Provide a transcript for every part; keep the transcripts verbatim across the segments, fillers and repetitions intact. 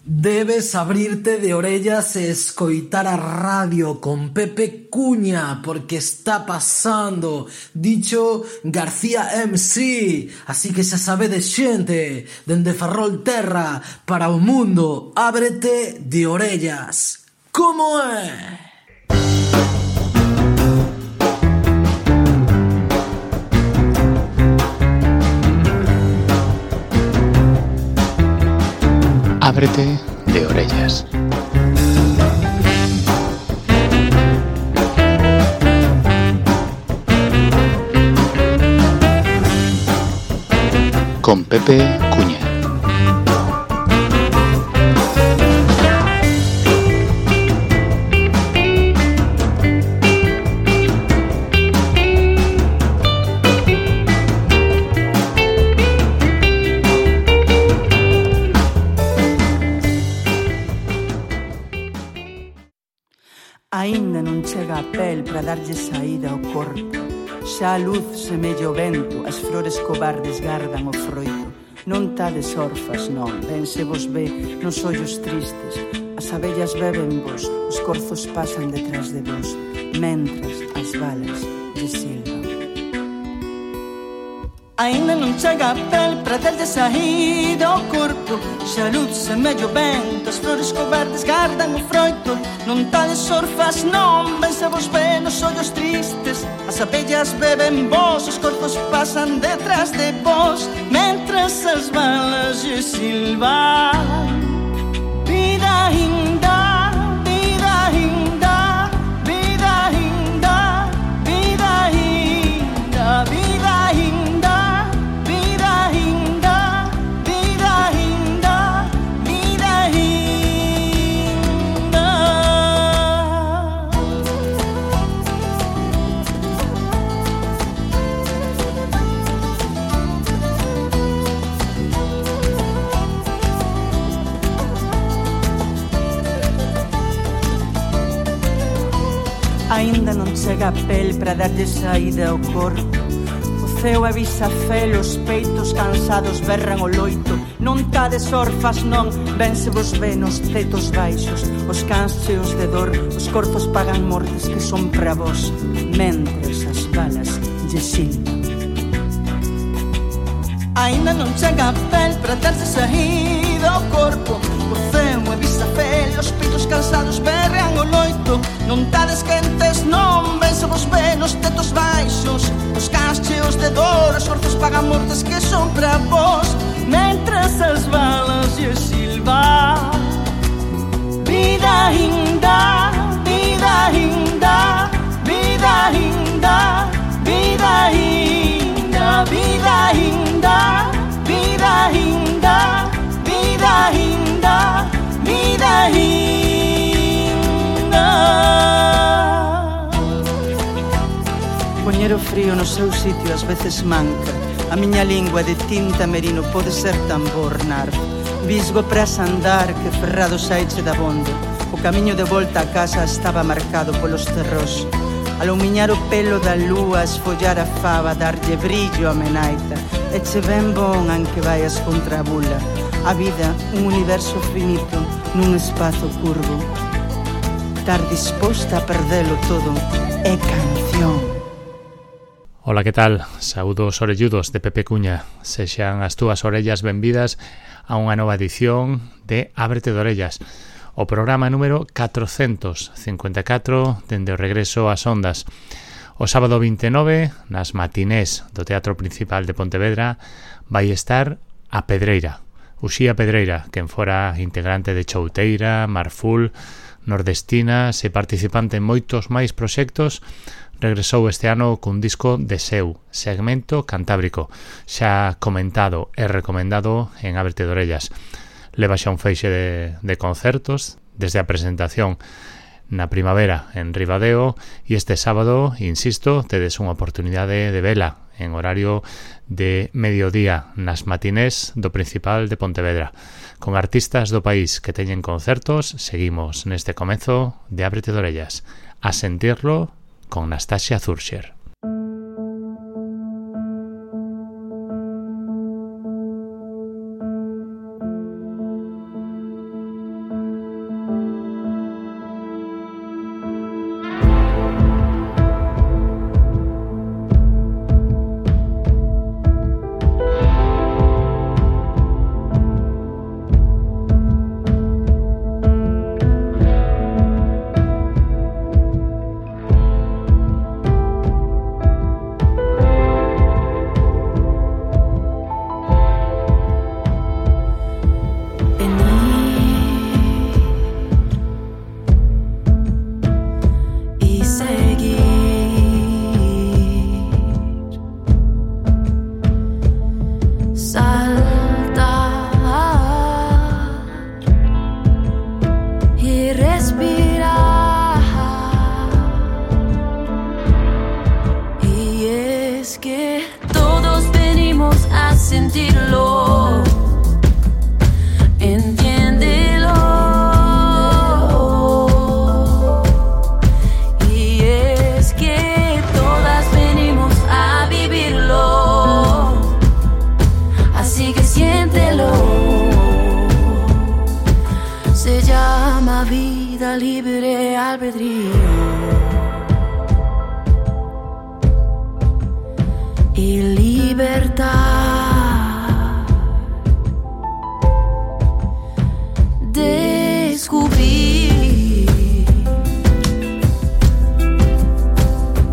Debes abrirte de orellas e escoitar a radio con Pepe Cuña, porque está pasando Dicho García M C. Así que xa sabedes, xente, dende Ferrol Terra para o mundo, ábrete de orellas. Como é? Ábrete de orellas. Con Pepe Cuña. Aínda non chega a pel para darlle saída ao corpo. Xa a luz semella o vento, as flores cobardes gardan o froito. Non tades orfas, non, ben se vos ve nos ollos tristes. As abellas beben vos, os corzos pasan detrás de vos, mentras as balas lle silban. Aínda non chega a pel para darlle saída ao corpo. Xa a luz semella o vento, as flores cobardes gardan o froito. Non tades orfas, non, ben se vos ve nos ollos tristes. As abellas beben vos, os corpos pasan detrás de vos, mentras as balas lle silban. Vida ainda, vida ainda, vida ainda, vida ainda, vida ainda, vida ainda, vida ainda, vida ainda. Aínda non chega a pel para darlle saída ao corpo. O ceo avisa fel, os peitos cansados berran o loito. Non tades orfas, non, ben se vos ve nos tetos baixos. Os cans cheos de dor, os corzos pagan mortes que son para vos, mentres as balas lle silban. Aínda non chega a pel para darlle saída ao corpo. O ceo avisa fel, os peitos cansados berran o loito. Non tades quentes, non, ben se vos ve nos tetos baixos. Os cans cheos de dor, os corzos pagan mortes que son para vos, mentras as balas lle silban. Vida ainda, vida ainda, vida ainda, vida ainda, vida ainda, vida ainda, vida ainda, vida ainda. Poñer o frío no seu sitio ás veces manca. A miña lingua de tinta merino pode ser tambor nardo. Visgo pras andar que ferrado saiche da bonda. O camiño de volta a casa estaba marcado polos terrós. Alumiñar o pelo da lúa, esfollar a fava, darlle brillo a menaita. E che ben bon anque vaias contra a bula. A vida, un universo finito nun espazo curvo. Estar disposta a perdelo todo é canción. Ola, que tal? Saúdos orelludos de Pepe Cuña. Sexan as túas orellas benvidas a unha nova edición de Ábrete de Orellas, o programa número catrocentos cincuenta e catro dende o regreso ás ondas. O sábado vinte e nove, nas matinés do Teatro Principal de Pontevedra, vai estar a Pedreira, Uxía Pedreira, quen fora integrante de Chouteira, Marful, Nordestinas e participante en moitos máis proxectos, regresou este ano cun disco de seu, segmento cantábrico, xa comentado e recomendado en Ábrete de Orellas. Leva xa un feixe de, de concertos, desde a presentación na primavera en Ribadeo, e este sábado, insisto, tedes unha oportunidade de vela en horario de mediodía nas matinés do Principal de Pontevedra. Con artistas do país que teñen concertos, seguimos neste comezo de Ábrete de Orellas. A sentirlo con Nastasia Zurscher. libre albedrío y libertad. Descubrí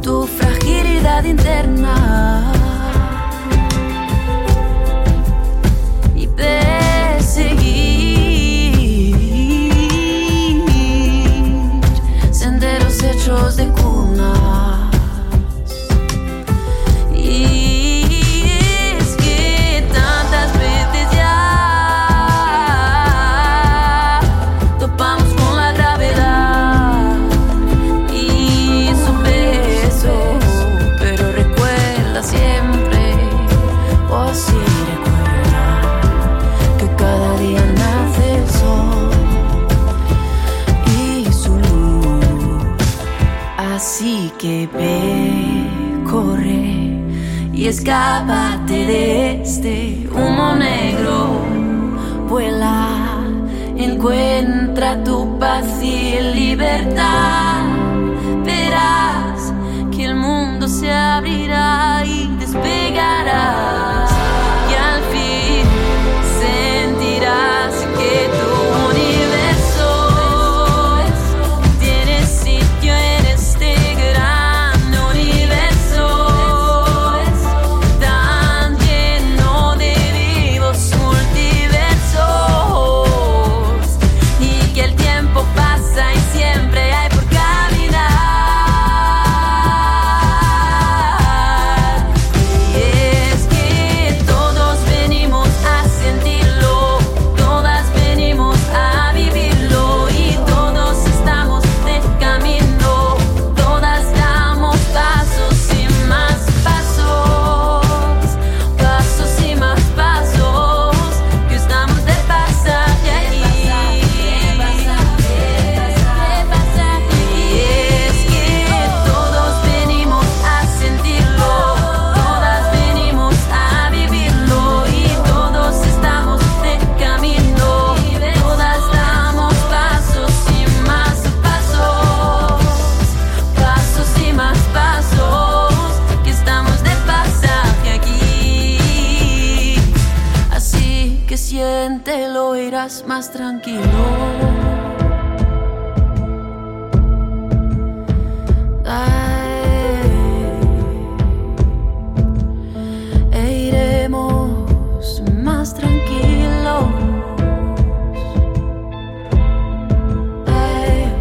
tu fragilidad interna y perseguir senderos hechos de cunas. Y es que tantas veces ya topamos con la gravedad y su peso, pero recuerda siempre, oh sí, recuerda que cada día nace el sol y su luz. Así que ve, corre y escápate de este humo negro. Vuela, encuentra tu paz y libertad. Verás que el mundo se abrirá y despegarás. Y al fin sentirás que tu universo tiene sitio en este gran universo tan lleno de vivos multiversos, y que el tiempo pasa y siempre hay por caminar. Y es que todos venimos a sentirlo, todas venimos a vivirlo, y todos estamos de camino, todas damos pasos y más pasos, pasos y más pasos, que estamos de pasaje aquí. Y es que todos venimos a sentirlo, todas venimos a vivirlo, y todos estamos de camino, todas damos pasos y más pasos, pasos y más pasos, que estamos de pasaje aquí. Así que siéntelo, irás más tranquilo. E iremos más tranquilos. Ey,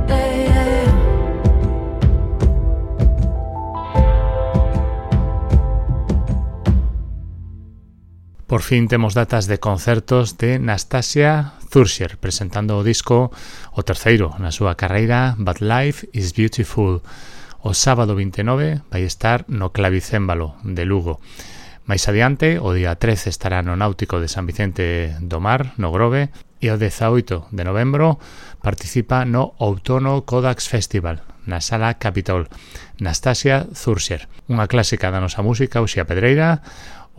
ey, ey. Por fin temos datas de concertos de Nastasia Thurscher presentando o disco o terceiro na súa carreira, But Life is Beautiful. O sábado vinte e nove vai estar no Clavicémbalo de Lugo. Mais adiante, o día trece estará no Náutico de San Vicente do Mar, no Grove, e o dezaoito de novembro participa no Outono Codax Festival, na Sala Capitol. Nastasia Thurscher, unha clásica da nosa música, Uxía Pedreira,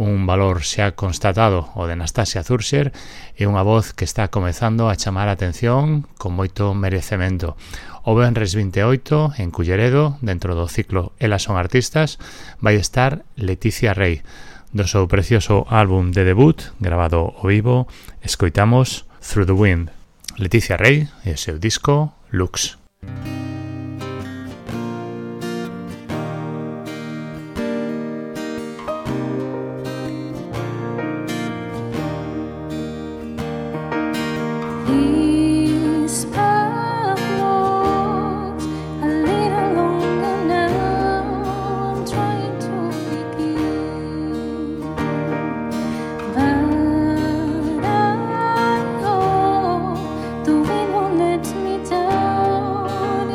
un valor xa constatado o de Nastasia Thurscher, e unha voz que está comezando a chamar a atención con moito merecemento. O venres vinte e oito, en Culleredo, dentro do ciclo Elas son artistas, vai estar Leticia Rey. Do seu precioso álbum de debut, grabado ao vivo, escoitamos Through the Wind. Leticia Rey e o seu disco Lux. These path walks a little longer now. I'm trying to begin, but I hope the wind won't let me down.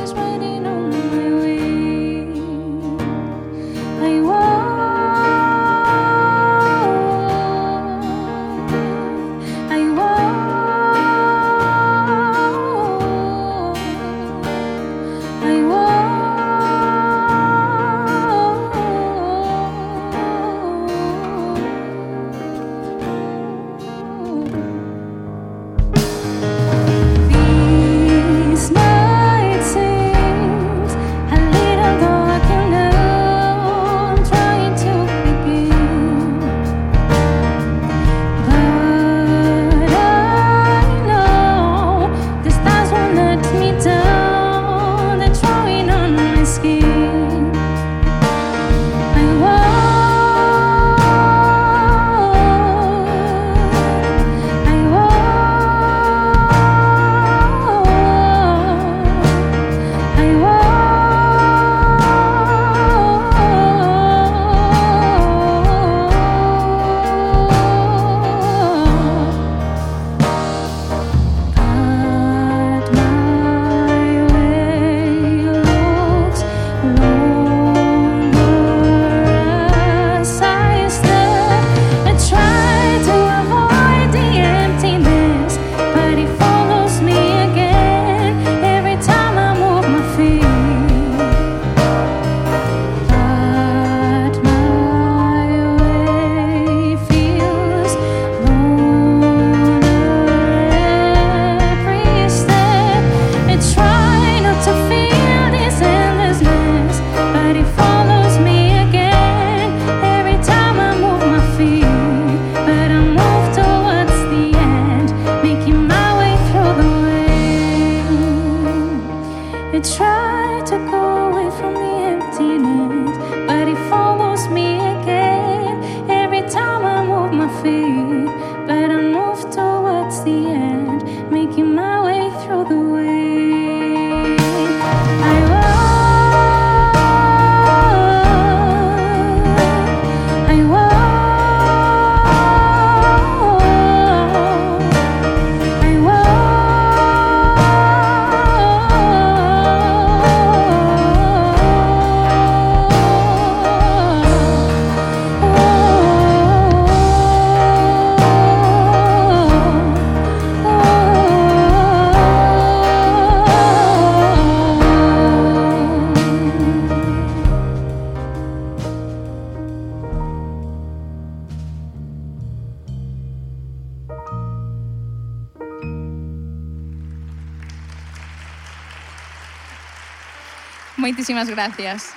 Moitísimas gracias.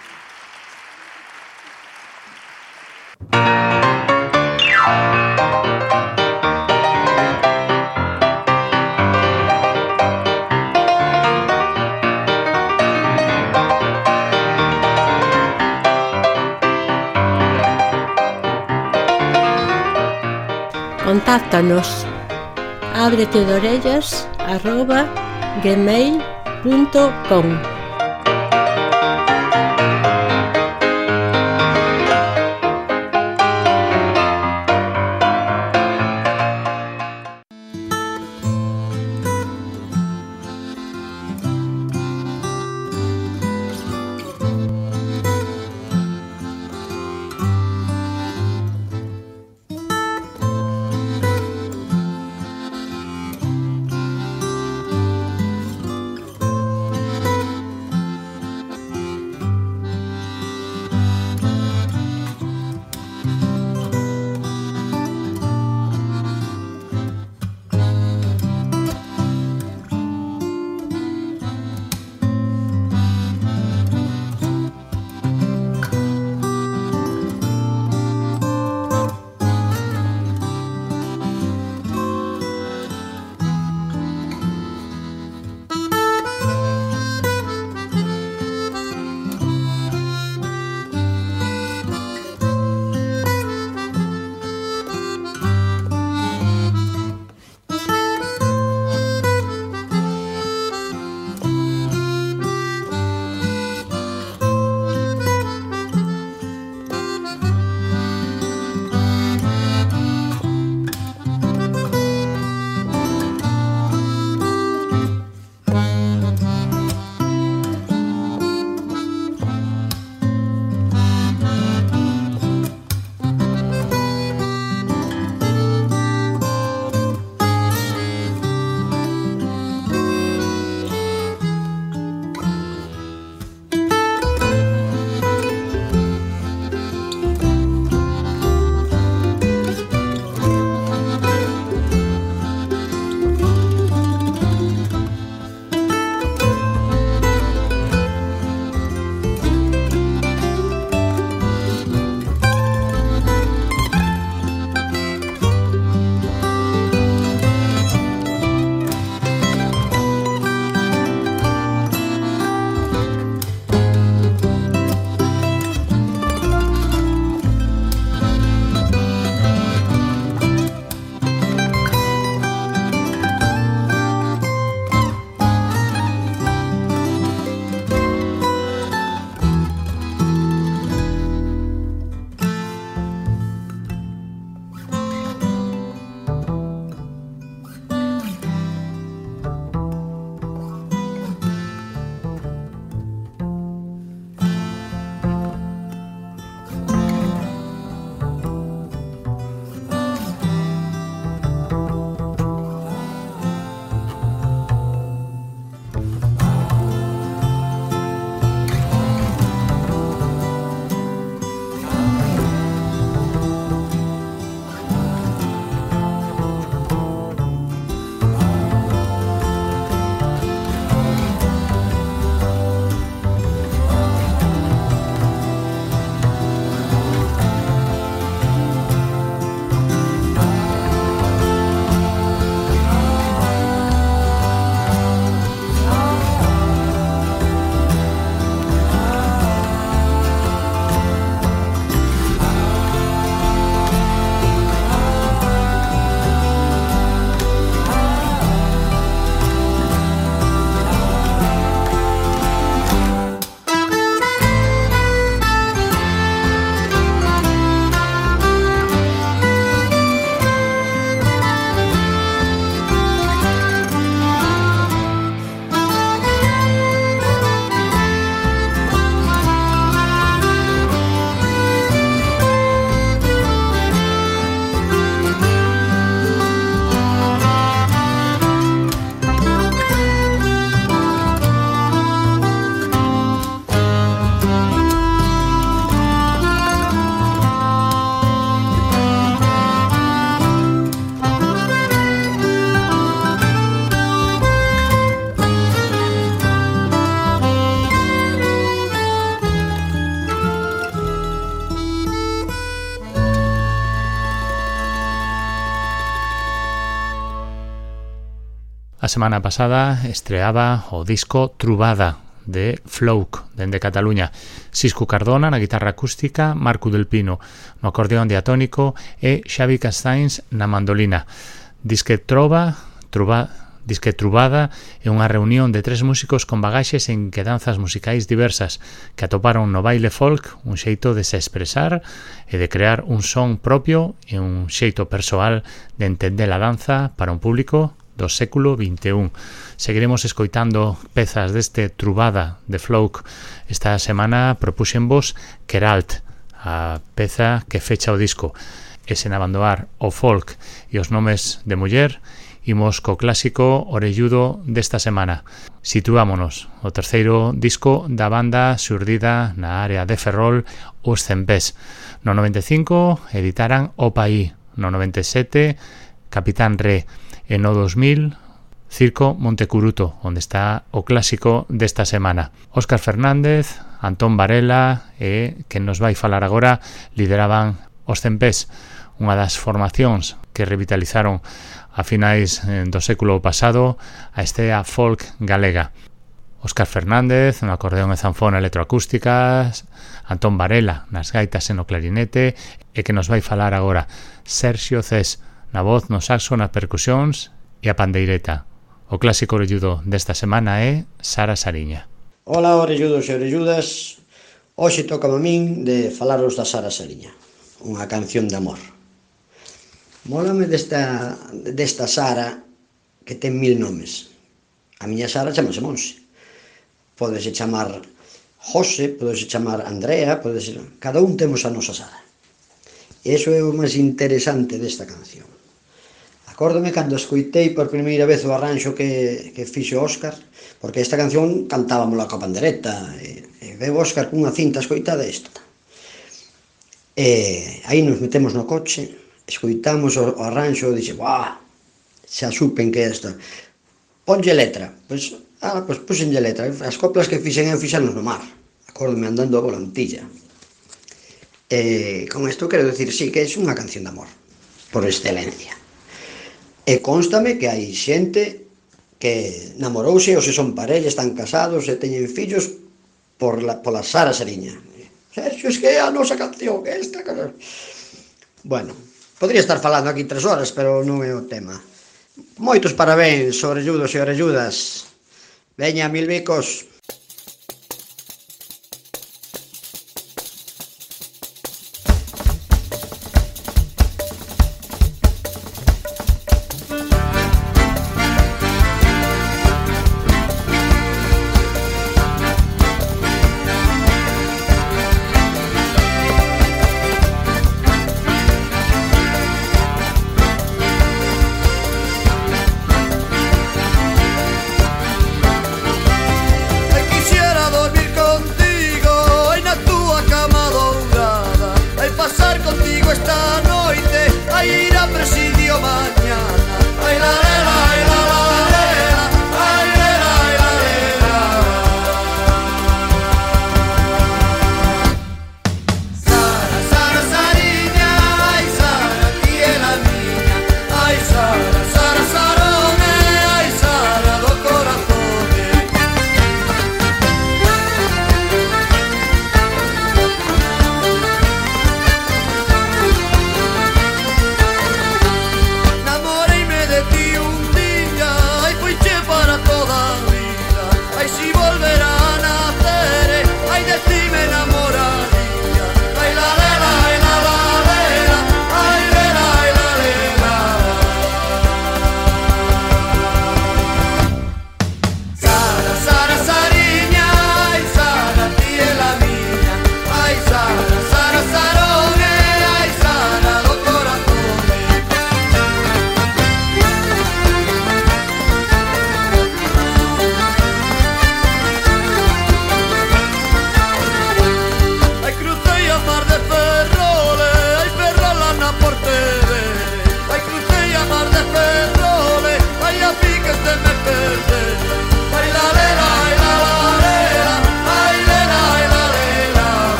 Contáctanos abretedorellas arroba gmail punto com. semana pasada estreaba o disco Trubada de Flouk, dende Cataluña. Cisco Cardona na guitarra acústica, Marco del Pino no acordeón diatónico e Xavi Castains na mandolina. Disque Trova, Truba, Disque Trubada é unha reunión de tres músicos con bagaxes en quedanzas musicais diversas que atoparon no baile folk un xeito de se expresar e de crear un son propio e un xeito persoal de entender a danza para un público do século vinte e un. Seguiremos escoitando pezas deste Trubada de Flouk. Esta semana propuxenvos Keralt, a peza que fecha o disco. E sen abandonar o folk e os nomes de muller, imos co clásico orelludo desta semana. Situámonos o terceiro disco da banda xurdida na área de Ferrol, Os Cempés. No noventa e cinco editaran O Paí, no noventa e sete Capitán Re, e no dos mil Circo Montecuruto, onde está o clásico desta semana. Óscar Fernández, Antón Varela e, que nos vai falar agora, lideraban Os Cempés, unha das formacións que revitalizaron a finais do século pasado a estea folk galega. Óscar Fernández no acordeón e zanfona electroacústicas, Antón Varela nas gaitas e no clarinete, e que nos vai falar agora Sergio Cés na voz, no saxo, nas percusións e a pandeireta. O clásico orelludo desta semana é Sara Sariña. Ola, orelludos e orelludas. Hoxe toca a min de falaros da Sara Sariña, unha canción de amor. Mólame desta, desta Sara que ten mil nomes. A miña Sara chamase Monse. Pódese chamar José, pódese chamar Andrea, pódese... cada un temos a nosa Sara. E iso é o máis interesante desta canción. Acórdome cando escoitei por primeira vez o arranxo que, que fixo Óscar, porque esta canción cantábamos coa pandereta, e, e veo Óscar cunha cinta escoitada isto. E aí nos metemos no coche, escoitamos o, o arranxo e dixe, buah, xa supen que é esta. Ponlle letra. Pois, ah, pois puxenlle letra. As coplas que fixen eu fixanos no mar. Acórdome andando a volantilla. E con isto quero dicir, sí, que é unha canción de amor, por excelencia. E constame que hai xente que namorouse ou se son parella, están casados e teñen fillos por la, pola Sara Sariña. Sergio, es que é a nosa canción, esta canción. Bueno, podría estar falando aquí tres horas, pero non é o tema. Moitos parabéns, orelludos e orelludas. Veña, mil bicos.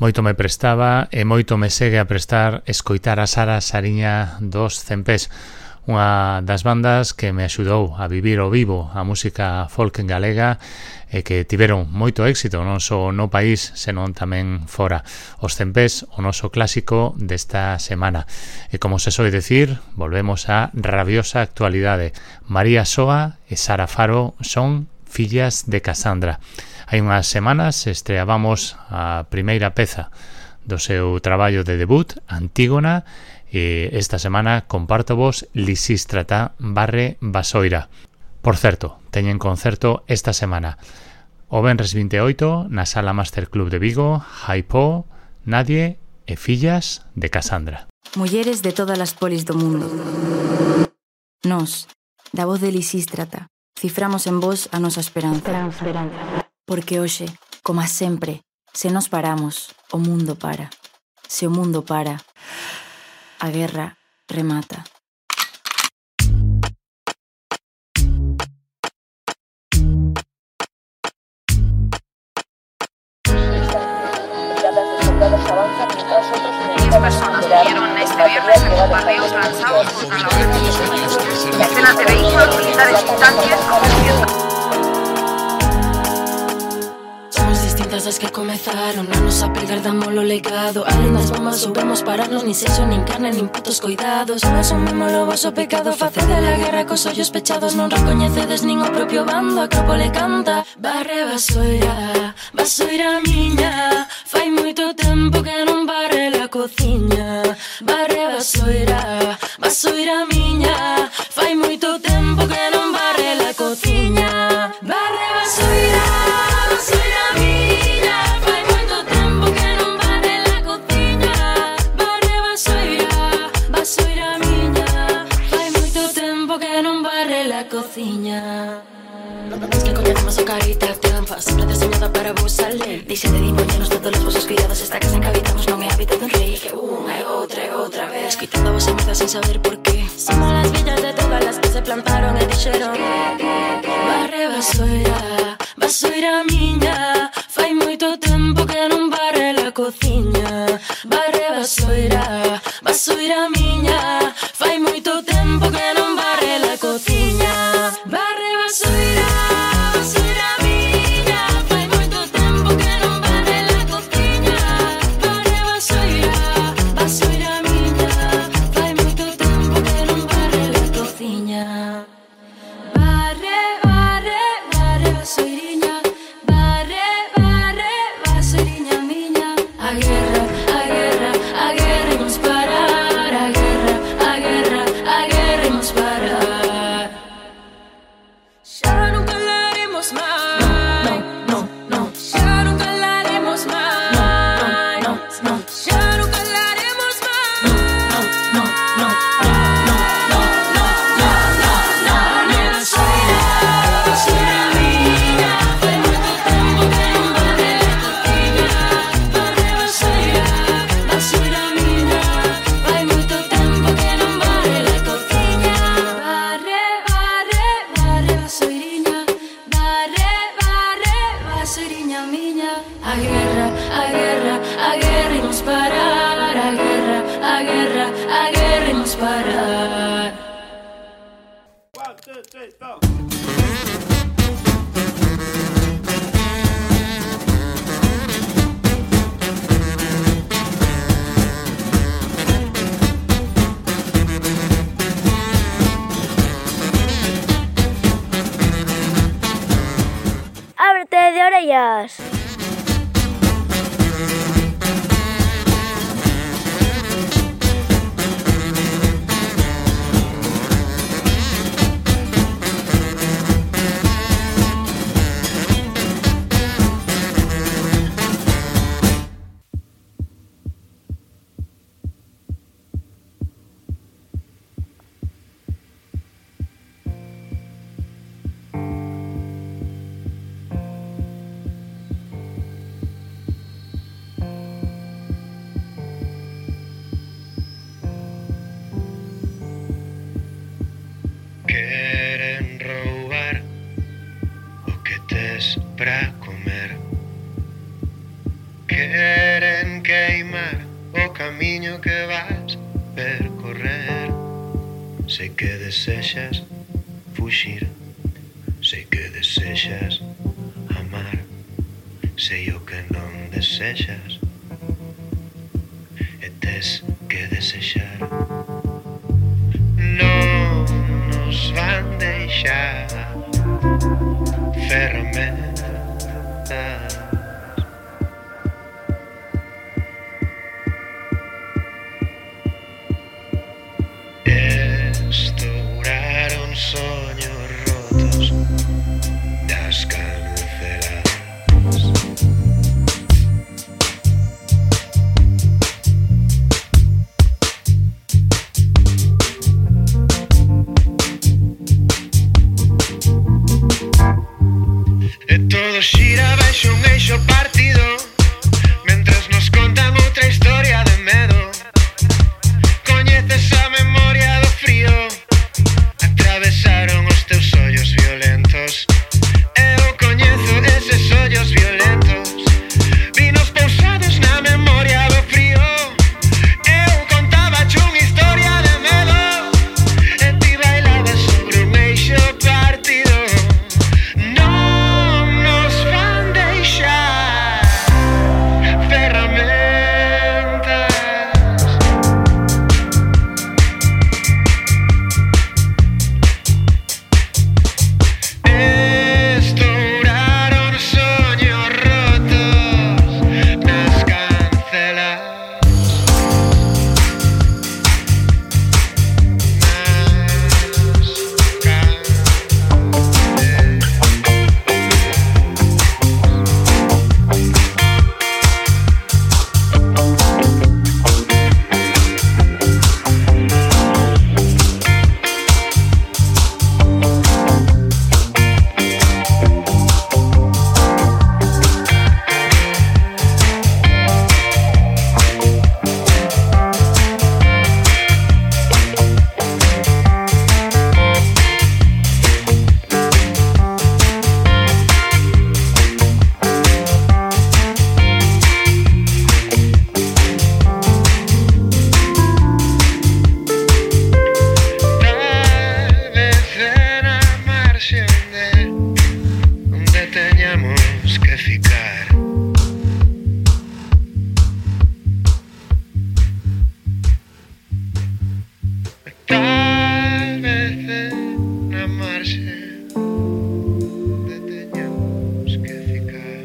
Moito me prestaba e moito me segue a prestar escoitar a Sara Sariña dos Cempés, unha das bandas que me axudou a vivir ao vivo a música folk galega e que tiveron moito éxito non só no país, senón tamén fora. Os Cempés, o noso clásico desta semana. E como se soe decir, volvemos á rabiosa actualidade. María Soa e Sara Faro son fillas de Casandra. Hai unhas semanas estreábamos a primeira peza do seu traballo de debut, Antígona, e esta semana comparto vos Lisístrata barre Basoira. Por certo, teñen concerto esta semana o venres vinte e oito na Sala Master Club de Vigo, Jaipó, Nadie e Fillas de Casandra. Mulleres de todas as polis do mundo. Nos, da voz de Lisístrata, ciframos en vos a nosa esperanza. Porque hoxe, como sempre, se nos paramos, o mundo para. Se o mundo para, a guerra remata. Diez personas murieron este viernes en bombardeos lanzados contra la organización. Decenas de vehículos militares y tanques convirtiendo. As que comezaron a nos apegar damos lo legado. Além das bombas soubemos pararnos. Nin sexo, nin carne, nin putos cuidados. Non asumimos o vosso pecado. Facede la guerra cos ollos pechados. Non recoñecedes nin o propio bando. Acrópole canta barre Basoira, Basoira miña. Fai moito tempo que non barre la cociña. Barre Basoira, Basoira miña. Fai moito tempo que non barre la cociña. Barre Basoira, Basoira miña. Cociña. Es que coñecemos a carita triunfa. Sempre deseñada para vos salir. Dixe de dimos todos os vosos cuidados. Esta casa en que habitamos non é hábitat dun rei. Que unha e outra e outra vez quitando a vosa meta sin saber por qué. Somos las villas de todas las que se plantaron e dixeron barre Basoira, Basoira miña. Fai moito tempo que non barre la cociña. Barre Basoira, Basoira miña. Fai moito tempo que non barre la cociña. Barre Basoira, Basoira miña. Fai moito tempo que non barre la cociña. Barre Basoira, Basoira miña. Fai moito tempo que non barre la cociña. Barre, barre, barre Basoiriña. Barre, barre, Basoiriña miña. A guerra, a guerra, a guerra imos parar. A guerra, a guerra, a guerra imos parar. Ya no calaremos más. No, no, no, no. Ya no calaremos más. No, no, no, no. Ya no calaremos más. No, no, no, no, no, no, no, no, no, no. Basoira, Basoira miña. Fai moito tempo que non barre la cociña. Barre Basoira, Basoira miña. Fai moito tempo que non barre la cociña. Barre, barre, barre Basoiriña. Barre, barre, Basoiriña miña. A guerra, a guerra, a guerra imos parar. A guerra, a guerra, a guerra imos parar. Ábrete de orellas. Para comer. Queren que vas percorrer. Sei que desexas fuxir, sei que desexas amar, sei o que non desexas e tes que desexar. Non nos van deixar ferramentas. Estouraron soños rotos das canceladas. E todo xira baixo un eixo partido, mentres nos contan outra historia de medo. Coñeces a memoria do frío, atravesaron os teus ollos violentos. Eu coñezo eses ollos violentos, vinos pousados na memoria do frío. Eu contaba unha historia de medo e ti bailabas sobre un eixo partido. Non nos van deixar ferramentas. Estouraron soños rotos nas canceladas. Tal vez na marxe onde teñamos que ficar.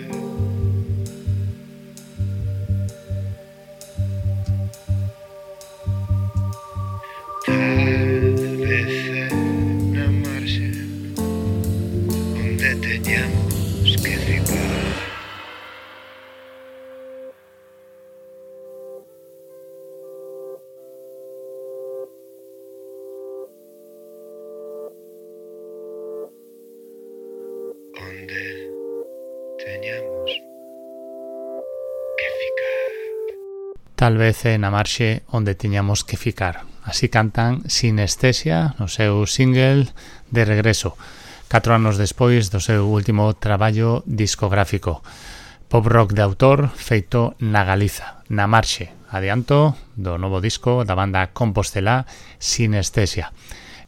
Tal vez na marxe onde teñamos que ficar. Onde teñamos que ficar. Tal vez é na marxe onde tiñamos que ficar. Así cantan Sinestesia no seu single de regreso, catro anos despois do seu último traballo discográfico. Pop rock de autor feito na Galiza, na marxe, adianto do novo disco da banda compostelá Sinestesia.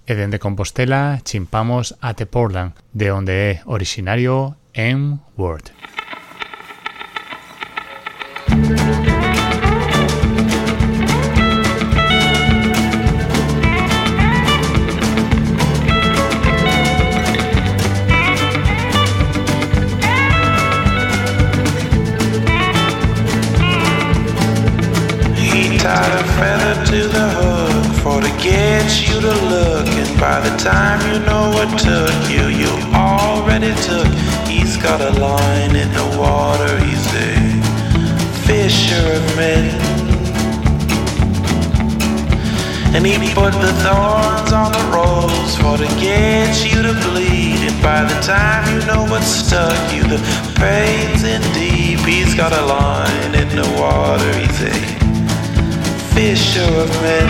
E dende Compostela chimpamos até Portland, de onde é originario M-Word. He tied a feather to the hook for to get you to look, and by the time you know what took you, you already took. He's got a line in the water, he's a fisher of men, and he put the thorns on the rose for to get you to bleed, and by the time you know what stuck you, the pain's in deep. He's got a line in the water, he's a fisher of men.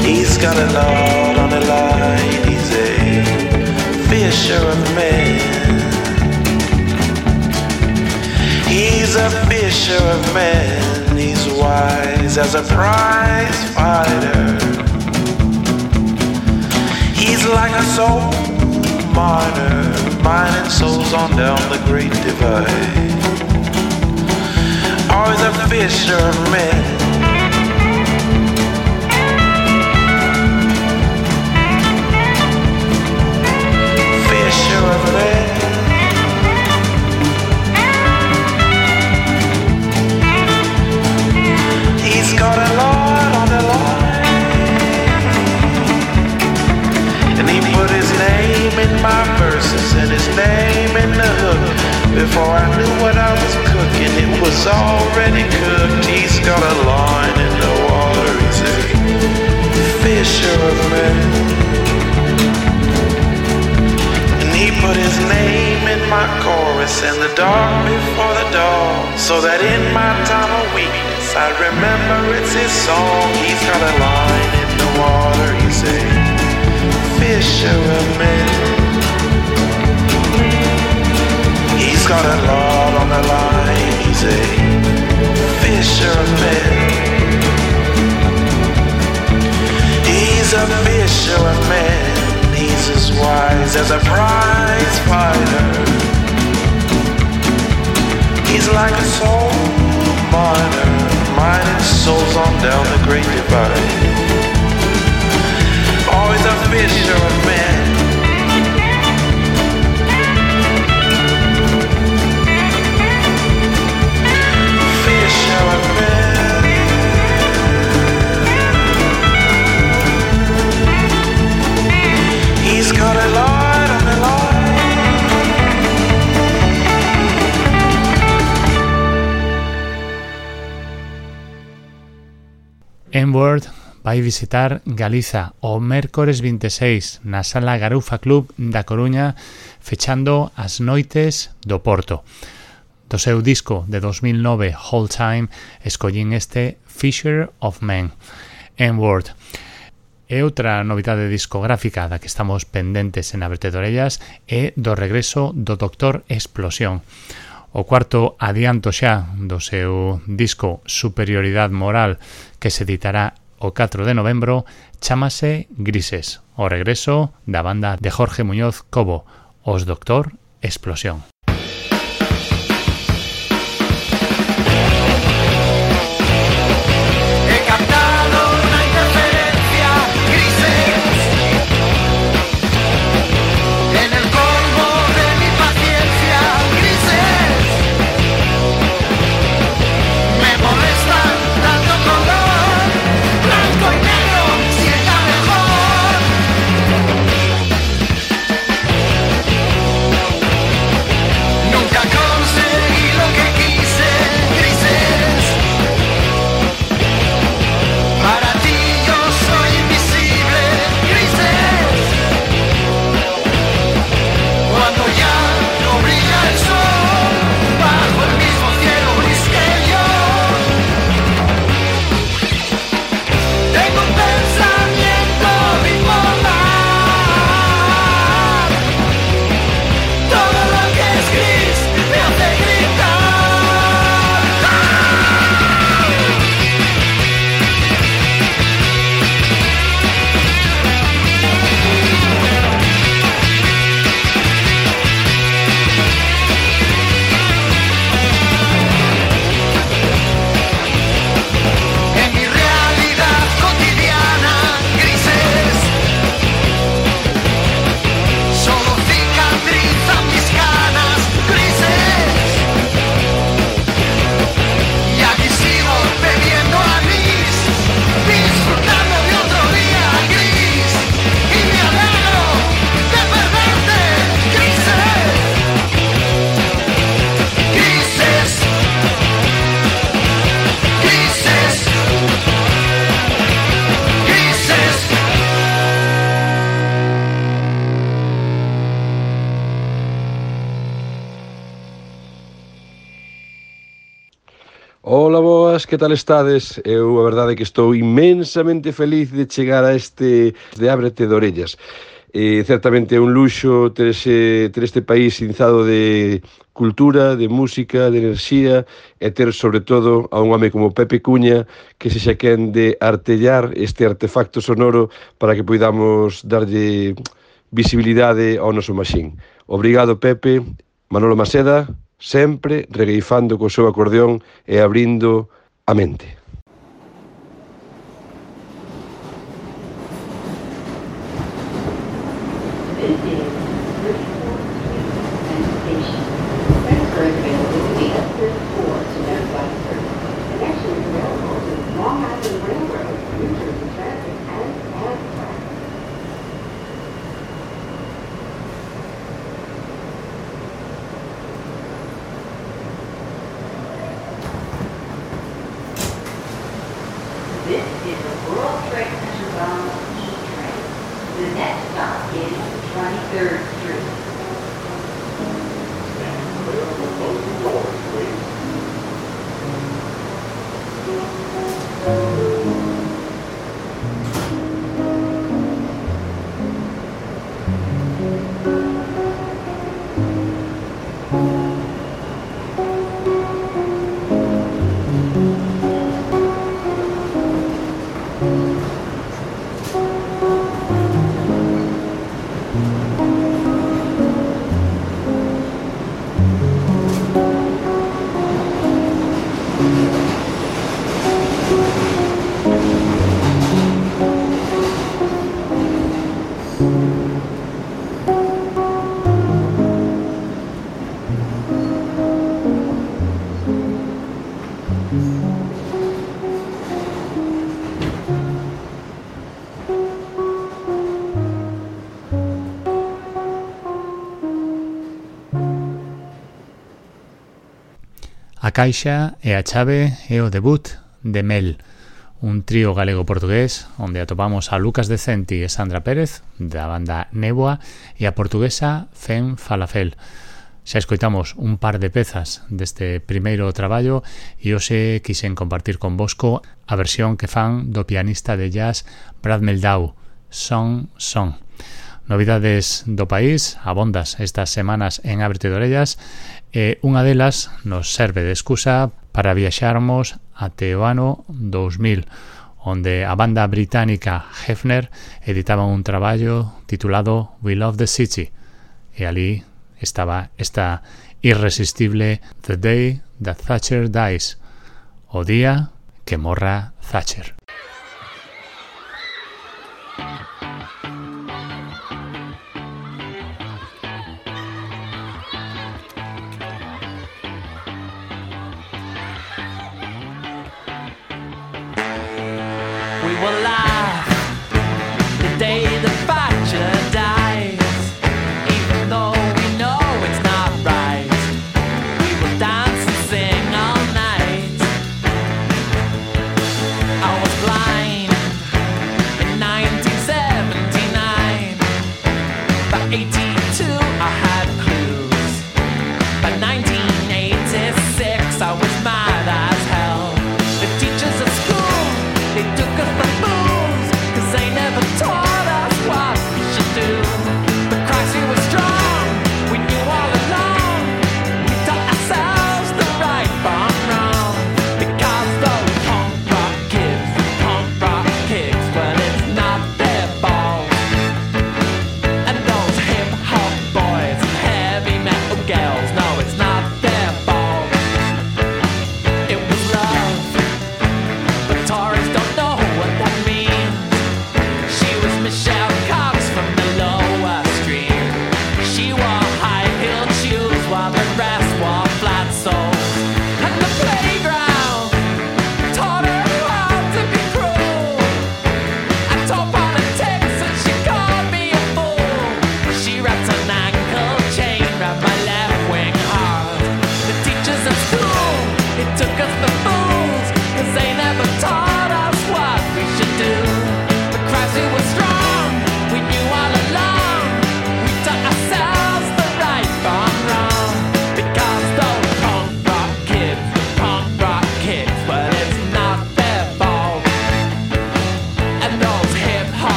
He's got a knot on the line, he's a fisher of men. He's He's a fisher of men, he's wise as a prize fighter. He's like a soul miner, mining souls on down the great divide. Oh, he's a fisher of men. Fisher of men. He's got a lot on the line, and he put his name in my verses and his name in the hook. Before I knew what I was cooking, it was already cooked. He's got a line in the water, he's a fisher of men. And he put his name in my chorus and the dark before the dawn, so that in my time of weakness I remember it's his song. He's got a line in the water, he's a fisher of men. He's got a lot on the line, he's a fisher of men. He's a fisher of men, he's as wise as a prize fighter. He's like a soul miner, mining souls on down the great divide. Always a fisher of men. He's got a lot on the line. N-Word vai visitar Galiza o mércores vinte e seis na Sala Garufa Club da Coruña, fechando as noites do Porto. Do seu disco de dos mil nove, Whole Time, escollín este Fisher of Men. N-Word. E outra novidade discográfica da que estamos pendentes en Ábrete de Orellas é do regreso do Doctor Explosión. O cuarto adianto xa do seu disco Superioridade Moral, que se editará o catro de novembro, chámase Grises, o regreso da banda de Jorge Muñoz Cobo, os Doctor Explosión. Ola, boas, que tal estades? Eu a verdade é que estou inmensamente feliz de chegar a este de Ábrete de Orellas. E certamente é un luxo ter, ese, ter este país inzado de cultura, de música, de enerxía, e ter sobre todo a un home como Pepe Cuña que se xa quen de artellar este artefacto sonoro para que poidamos darlle visibilidade ao noso maxín. Obrigado, Pepe. Manolo Maseda, sempre regueifando co seu acordeón e abrindo a mente. A caixa e a chave é o debut de Mel, un trío galego-portugués onde atopamos a Lucas Decenti e Sandra Pérez da banda Néboa e a portuguesa Fem Falafel. Xa escoitamos un par de pezas deste primeiro traballo e hoxe quixen compartir con vosco a versión que fan do pianista de jazz Brad Meldau, Song Song. Novidades do país, abondas estas semanas en Ábrete de Orellas, e unha delas nos serve de excusa para viaxarmos até o ano dous mil, onde a banda británica Hefner editaba un traballo titulado We Love the City, e ali estaba esta irresistible The Day That Thatcher Dies, o día que morra Thatcher. We will laugh the day the Thatcher dies, even though we know it's not right. We will dance and sing all night. I was blind in nineteen seventy-nine. By eighty-two I had clues. By nineteen eighty-six I was mad as hell. The teachers at school, they took us for fools.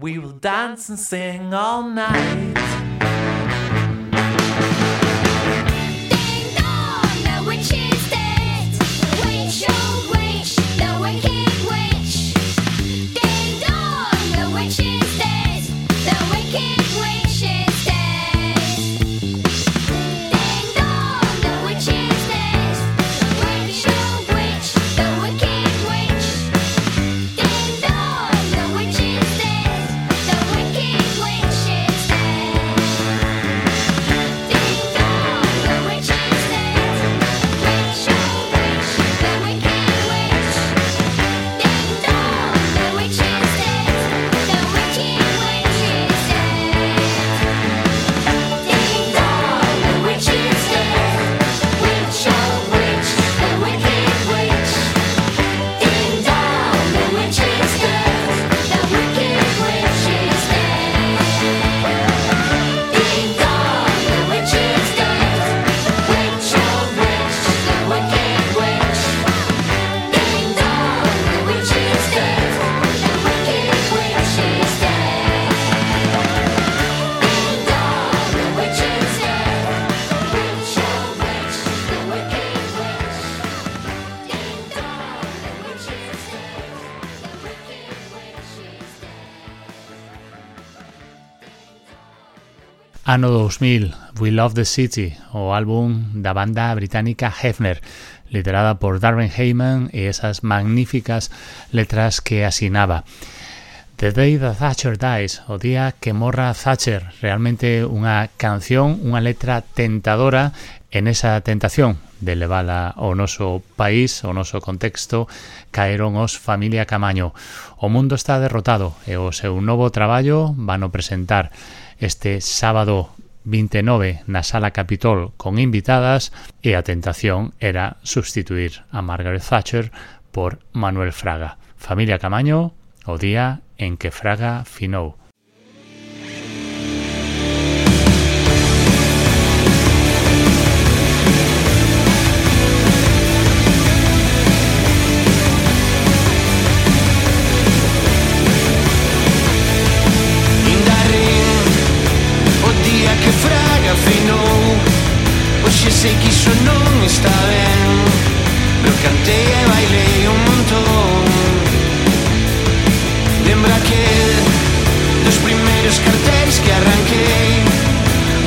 We will dance and sing all night. Ano dous mil, We Love the City, o álbum da banda británica Hefner, liderada por Darren Hayman e esas magníficas letras que asinaba. The Day That Thatcher Dies, o día que morra Thatcher, realmente unha canción, unha letra tentadora en esa tentación de levala ao noso país, ao noso contexto, caeron os Familia Camaño. O mundo está derrotado e o seu novo traballo vano presentar este sábado vinte e nove na Sala Capitol con invitadas e a tentación era substituir a Margaret Thatcher por Manuel Fraga. Familia Camaño, o día en que Fraga finou. Sei que iso non está ben, pero cantei e bailei un montón. Lembra que dos primeiros cartéis que arranquei,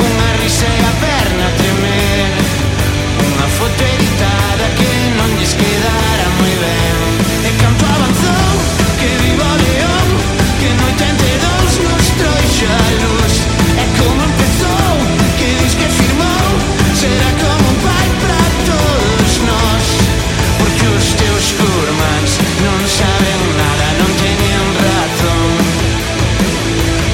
unha risa e a perna a tremer, unha foto editada que non lles quedara moi ben. E canto avanzou, que viva o león, que no oitenta e dous nos trouxo a luz. E como empezou, que dis que firmou, será como un pai para todos nós. Porque os teus curmans non saben nada, non teñen razón.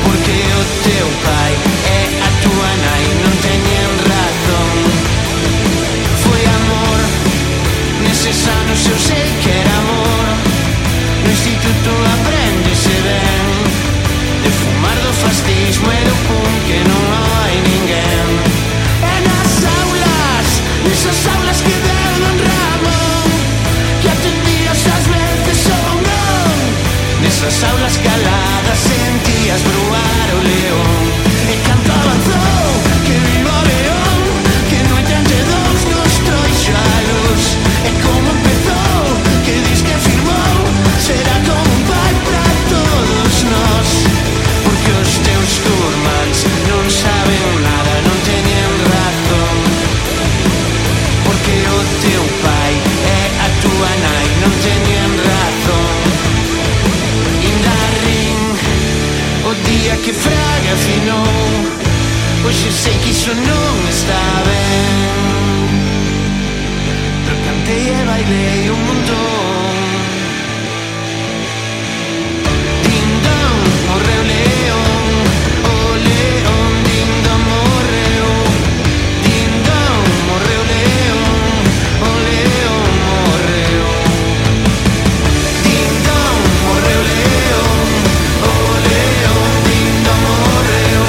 Porque o teu pai e a tua nai non teñen razón. Foi amor, neses anos eu sei que era amor. No instituto aprendese ben, de fumar do fascismo e do pum que non hai ninguén. Esas aulas que deron Ramón, que atendías ás veces ou non. Nesas aulas caladas sentías bruar o león. E canto avanzou, que viva o león, que no oitenta e dous nos trouxo a luz. E como empezou, que dis que firmou, será como un pai para todos nós. Porque os teus curmans non saben nada, non teñen razón. Porque o teu pai e a tua nai non teñen razón. Inda rin o día que Fraga finou, hoxe sei que iso non está ben, pero cantei e bailei un montón. Dindón, morreu león, o león dindón morreu. Dindón, morreu león, o león morreu. Dindón, morreu león, o león dindón morreu.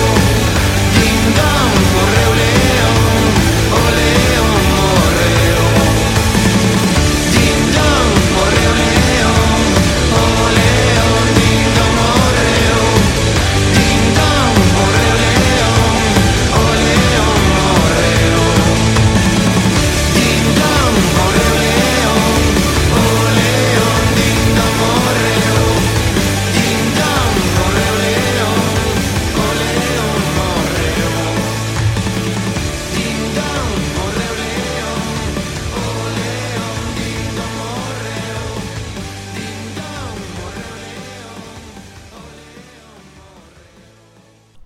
Dindón, morreu león, o león morreu. Dindón,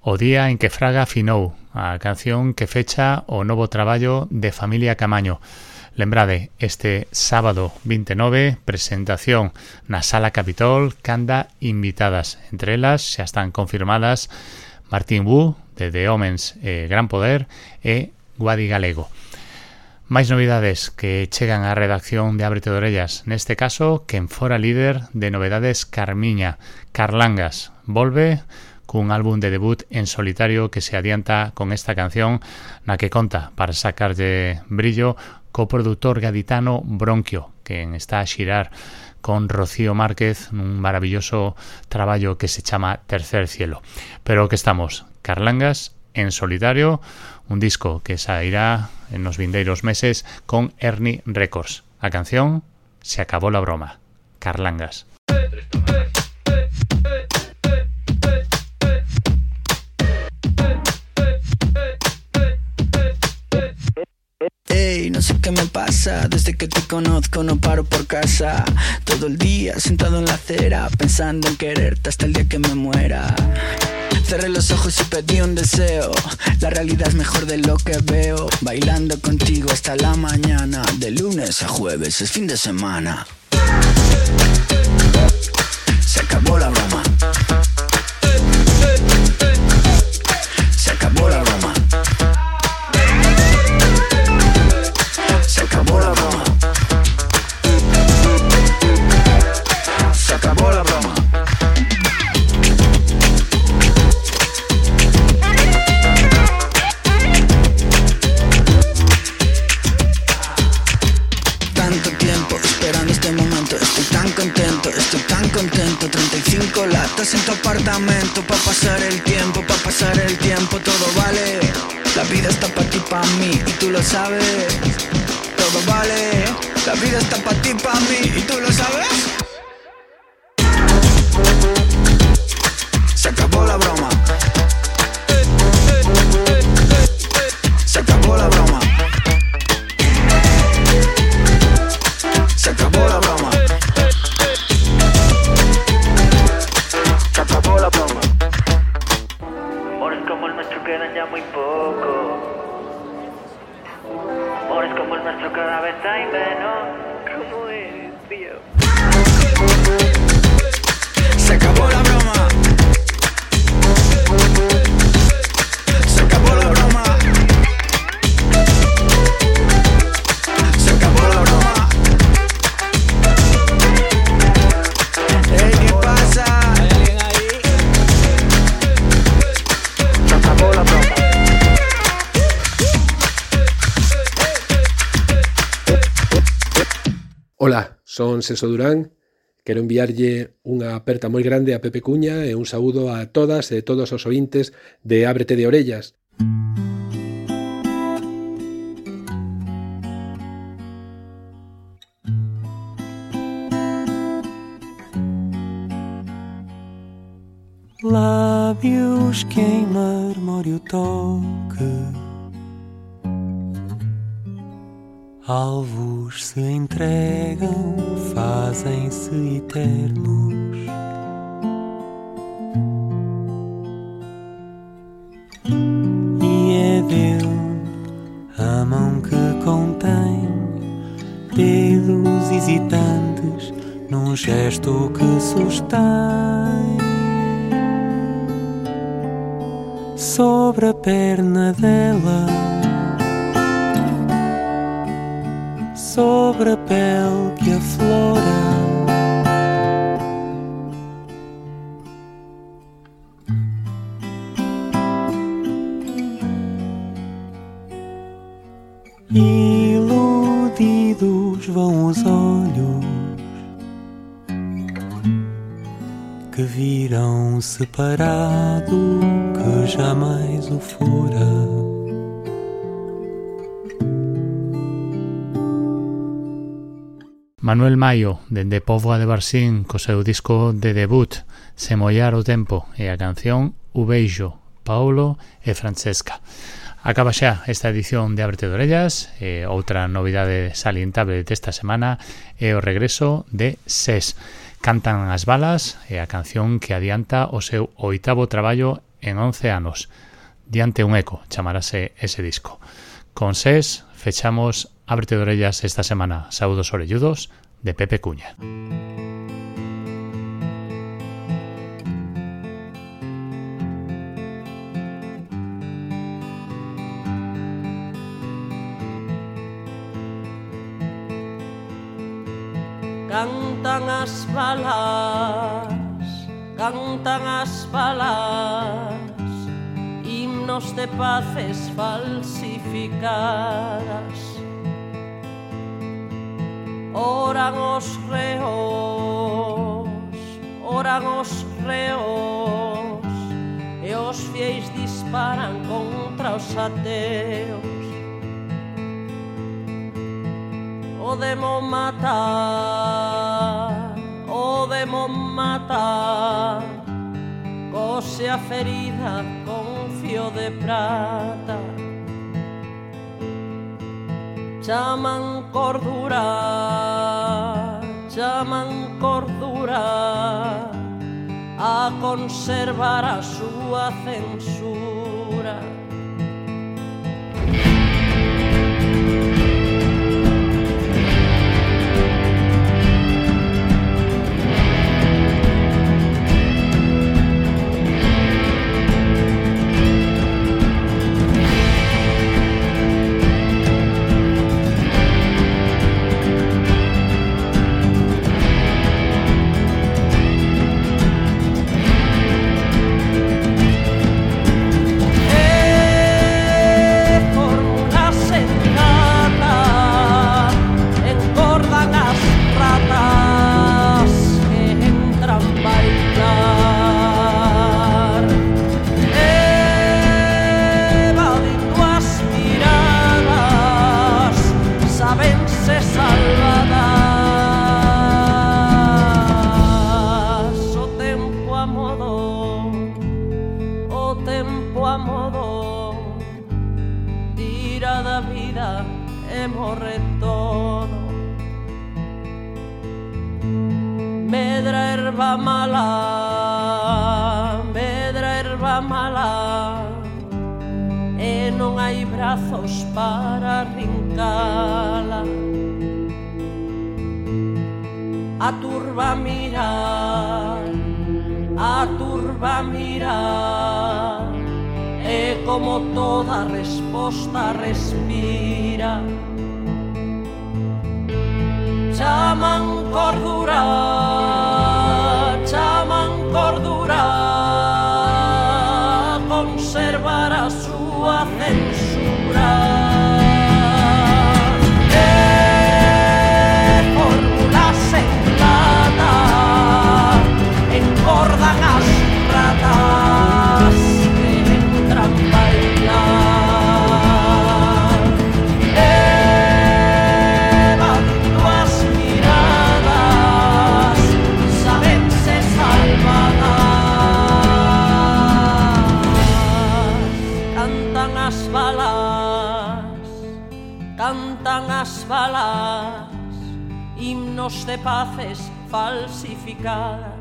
O día en que Fraga finou, a canción que fecha o novo traballo de Familia Camaño. Lembrade, este sábado vinte e nove, presentación na Sala Capitol, canda invitadas. Entre elas xa están confirmadas Martín Wu, de The Omens e Gran Poder, e Guadi Galego. Máis novidades que chegan á redacción de Ábrete de Orellas. Neste caso, quen fora líder de novedades Carmiña, Carlangas, volve cun álbum de debut en solitario que se adianta con esta canción na que conta para sacarlle brillo co produtor gaditano Bronquio, quen está a xirar con Rocío Márquez nun maravilloso traballo que se chama Tercer Cielo. Pero que estamos, Carlangas en solitario, un disco que sairá en los vindeiros meses con Ernie Records. A canción Se acabó la broma, Carlangas. Ey, no sé qué me pasa, desde que te conozco no paro por casa. Todo el día sentado en la acera, pensando en quererte hasta el día que me muera. Cerré los ojos y pedí un deseo, la realidad es mejor de lo que veo. Bailando contigo hasta la mañana, de lunes a jueves es fin de semana. Se acabó la broma. Se acabó la broma. Se acabó la broma. Se acabó la broma. Tanto tiempo esperando este momento, estoy tan contento, estoy tan contento. Treinta y cinco latas en tu apartamento, pa' pasar el tiempo, pa' pasar el tiempo, todo vale. La vida está pa' ti, pa' mí, y tú lo sabes. Todo vale, la vida está pa' ti, pa' mí, y tú lo sabes. Se acabó la broma. Se acabó la broma. Se acabó la broma. Se acabó la broma. Amores como el nuestro quedan ya muy poco. Amores como el nuestro cada vez hay menos. ¿Cómo eres, tío? Se acabó la broma. Se acabó la broma. Se acabó la broma. Hey, ¿qué pasa? ¿Hay alguien ahí? Se acabó la broma. Ola, son Senso Durán. Quero enviarlle unha aperta moi grande a Pepe Cuña e un saúdo a todas e todos os ointes de Ábrete de Orellas. Lábios que em mármore o toque, alvos se entregam, fazem-se eternos. E é dele a mão que contém dedos hesitantes num gesto que sustém. Sobre a perna dela, sobre a pele que aflora, iludidos vão os olhos que viram separado, que jamais o fora. Manuel Maio, dende Póvoa de Varzín, co seu disco de debut Se mollar o tempo, e a canción O beijo, Paolo e Francesca. Acaba xa esta edición de Ábrete de Orellas, e outra novidade salientable desta semana é o regreso de SES. Cantan as balas, e a canción que adianta o seu oitavo traballo en once anos. Diante un eco, chamarase ese disco. Con SES fechamos Ábrete de Orellas esta semana. Saúdos orelludos de Pepe Cuña. Cantan as balas, cantan as balas, himnos de paces falsificadas. Oran os reos, oran os reos, e os fieis disparan contra os ateos. O demo matar, o demo matar, cose a ferida con fío de prata. Chaman cordura, chaman cordura, a conservar a súa censura. Para rincala, a turba mirar, a turba mirar, e como toda resposta respira. Chaman cordura, chaman cordura, conservar a súa censura. Engordan as ratas que entran bailar. Evadindo as miradas, sabense salvadas. Cantan as balas, cantan as balas, himnos de paces falsificadas.